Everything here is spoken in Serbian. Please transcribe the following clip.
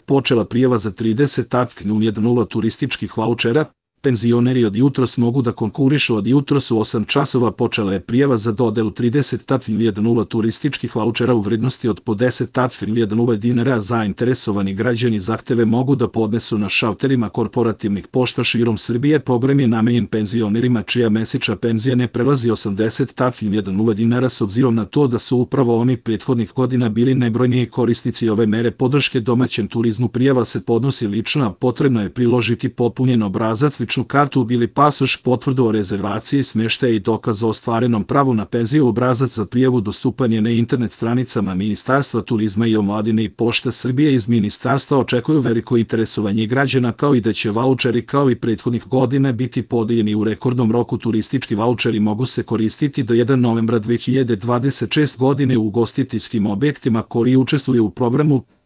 počela prijava za 30.010 turističkih vaučera. Penzioneri od jutros mogu da konkurišu. Od jutros u 8 časova počela je prijava za dodelu 30.010 turističkih vaučera u vrednosti od po 10.000 dinara. Zainteresovani građani zahteve mogu da podnesu na šalterima korporativnih pošta širom Srbije. Program je namenjen penzionerima čija mesečna penzija ne prelazi 80.000 dinara. S obzirom na to da su upravo oni prethodnih godina bili najbrojniji korisnici ove mere podrške domaćem turizmu, prijava se podnosi lično, a potrebno je priložiti popunjen obrazac, ličnu kartu ili pasoš, potvrdu o rezervaciji smeštaja i dokaz o ostvarenom pravu na penziju. Obrazac za prijavu dostupan je na internet stranicama Ministarstva turizma i omladine i Pošta Srbije. Iz ministarstva očekuju veliko interesovanje građana, kao i da će vaučeri kao i prethodnih godina biti podeljeni u rekordnom roku. Turistički vaučeri mogu se koristiti do 1. novembra 2026. godine u ugostiteljskim objektima koji učestvuju u programu.